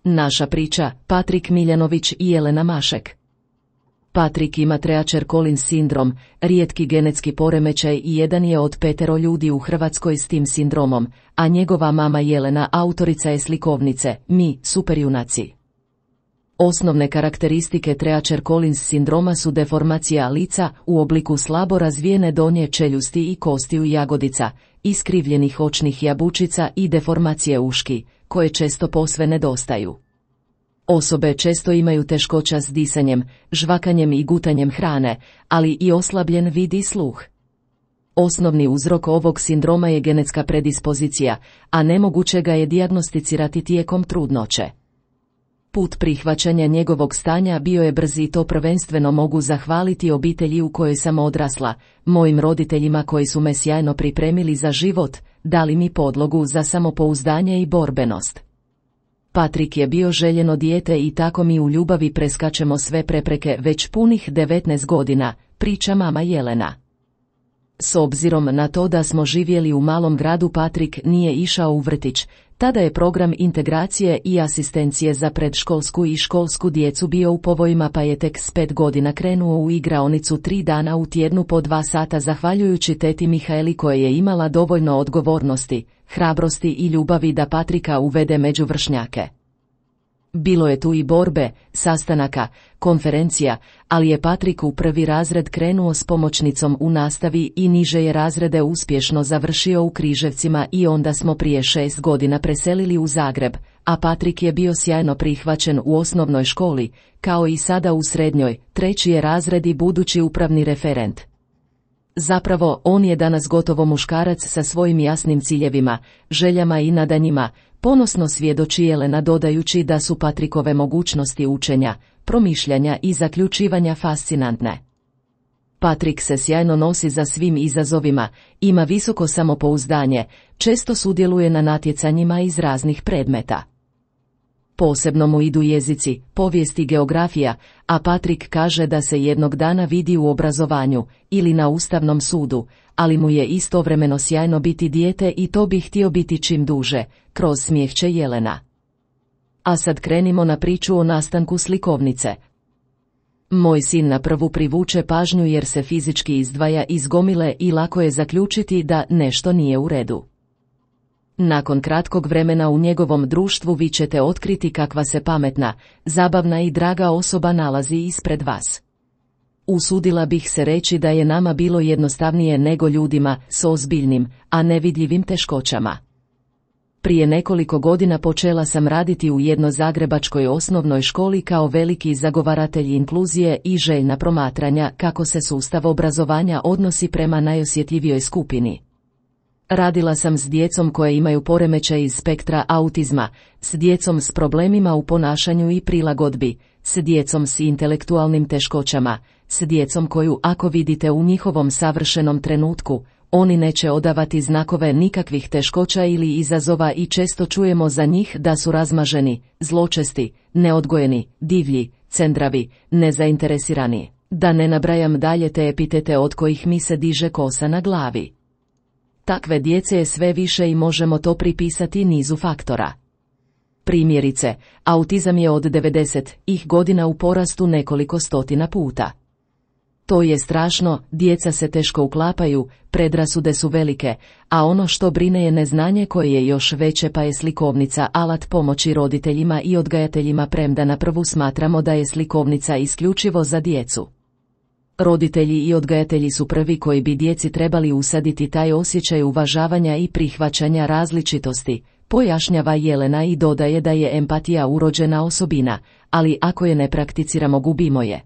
Naša priča, Patrik Miljanović i Jelena Mašek. Patrik ima Treacher Collins sindrom, rijetki genetski poremećaj i jedan je od 5 ljudi u Hrvatskoj s tim sindromom, a njegova mama Jelena autorica je slikovnice Mi, superjunaci. Osnovne karakteristike Treacher Collins sindroma su deformacija lica u obliku slabo razvijene donje čeljusti i kostiju jagodica, iskrivljenih očnih jabučica i deformacije uški, koje često posve nedostaju. Osobe često imaju teškoća s disanjem, žvakanjem i gutanjem hrane, ali i oslabljen vid i sluh. Osnovni uzrok ovog sindroma je genetska predispozicija, a nemoguće ga je dijagnosticirati tijekom trudnoće. Put prihvaćanja njegovog stanja bio je brz i to prvenstveno mogu zahvaliti obitelji u kojoj sam odrasla, mojim roditeljima koji su me sjajno pripremili za život, dali mi podlogu za samopouzdanje i borbenost. Patrik je bio željeno dijete i tako mi u ljubavi preskačemo sve prepreke već punih 19 godina, priča mama Jelena. S obzirom na to da smo živjeli u malom gradu, Patrik nije išao u vrtić, tada je program integracije i asistencije za predškolsku i školsku djecu bio u povojima, pa je tek s 5 godina krenuo u igraonicu 3 dana u tjednu po 2 sata zahvaljujući teti Mihaeli koja je imala dovoljno odgovornosti, hrabrosti i ljubavi da Patrika uvede među vršnjake. Bilo je tu i borbe, sastanaka, konferencija, ali je Patrik u 1. razred krenuo s pomoćnicom u nastavi i niže je razrede uspješno završio u Križevcima i onda smo prije 6 godina preselili u Zagreb, a Patrik je bio sjajno prihvaćen u osnovnoj školi, kao i sada u srednjoj, 3. je razred i budući upravni referent. Zapravo, on je danas gotovo muškarac sa svojim jasnim ciljevima, željama i nadanjima, ponosno svjedoči Jelena dodajući da su Patrikove mogućnosti učenja, promišljanja i zaključivanja fascinantne. Patrik se sjajno nosi za svim izazovima, ima visoko samopouzdanje, često sudjeluje na natjecanjima iz raznih predmeta. Posebno mu idu jezici, povijest i geografija, a Patrik kaže da se jednog dana vidi u obrazovanju ili na Ustavnom sudu, ali mu je istovremeno sjajno biti dijete i to bi htio biti čim duže, kroz smijehće Jelena. A sad krenimo na priču o nastanku slikovnice. Moj sin na prvu privuče pažnju jer se fizički izdvaja iz gomile i lako je zaključiti da nešto nije u redu. Nakon kratkog vremena u njegovom društvu vi ćete otkriti kakva se pametna, zabavna i draga osoba nalazi ispred vas. Usudila bih se reći da je nama bilo jednostavnije nego ljudima s ozbiljnim, a nevidljivim teškoćama. Prije nekoliko godina počela sam raditi u jednoj zagrebačkoj osnovnoj školi kao veliki zagovaratelj inkluzije i željna promatranja kako se sustav obrazovanja odnosi prema najosjetljivijoj skupini. Radila sam s djecom koje imaju poremećaj iz spektra autizma, s djecom s problemima u ponašanju i prilagodbi, s djecom s intelektualnim teškoćama, s djecom koju ako vidite u njihovom savršenom trenutku, oni neće odavati znakove nikakvih teškoća ili izazova i često čujemo za njih da su razmaženi, zločesti, neodgojeni, divlji, cendravi, nezainteresirani. Da ne nabrajam dalje te epitete od kojih mi se diže kosa na glavi. Takve djece je sve više i možemo to pripisati nizu faktora. Primjerice, autizam je od 90-ih godina u porastu nekoliko stotina puta. To je strašno, djeca se teško uklapaju, predrasude su velike, a ono što brine je neznanje koje je još veće, pa je slikovnica alat pomoći roditeljima i odgajateljima, premda na prvu smatramo da je slikovnica isključivo za djecu. Roditelji i odgajatelji su prvi koji bi djeci trebali usaditi taj osjećaj uvažavanja i prihvaćanja različitosti, pojašnjava Jelena i dodaje da je empatija urođena osobina, ali ako je ne prakticiramo gubimo je.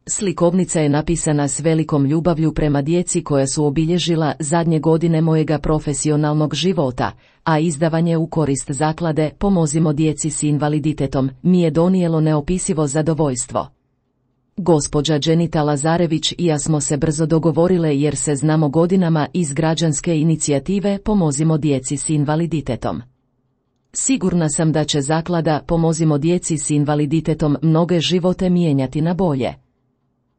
Slikovnica je napisana s velikom ljubavlju prema djeci koja su obilježila zadnje godine mojega profesionalnog života, a izdavanje u korist zaklade Pomozimo djeci s invaliditetom mi je donijelo neopisivo zadovoljstvo. Gospođa Dženita Lazarević i ja smo se brzo dogovorile jer se znamo godinama iz građanske inicijative Pomozimo djeci s invaliditetom. Sigurna sam da će zaklada Pomozimo djeci s invaliditetom mnoge živote mijenjati na bolje.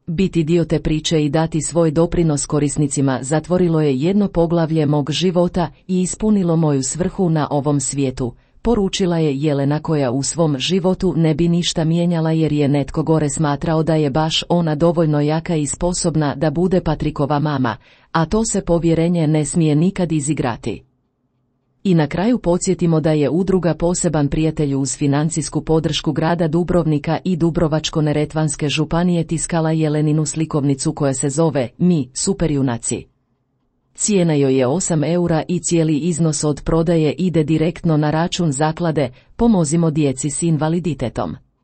Biti dio te priče i dati svoj doprinos korisnicima zatvorilo je jedno poglavlje mog života i ispunilo moju svrhu na ovom svijetu, poručila je Jelena, koja u svom životu ne bi ništa mijenjala jer je netko gore smatrao da je baš ona dovoljno jaka i sposobna da bude Patrikova mama, a to se povjerenje ne smije nikad izigrati. I na kraju podsjetimo da je udruga Poseban prijatelj uz financijsku podršku grada Dubrovnika i Dubrovačko-neretvanske županije tiskala Jeleninu slikovnicu koja se zove Mi, superjunaci. Cijena joj je 8 eura i cijeli iznos od prodaje ide direktno na račun zaklade Pomozimo djeci s invaliditetom.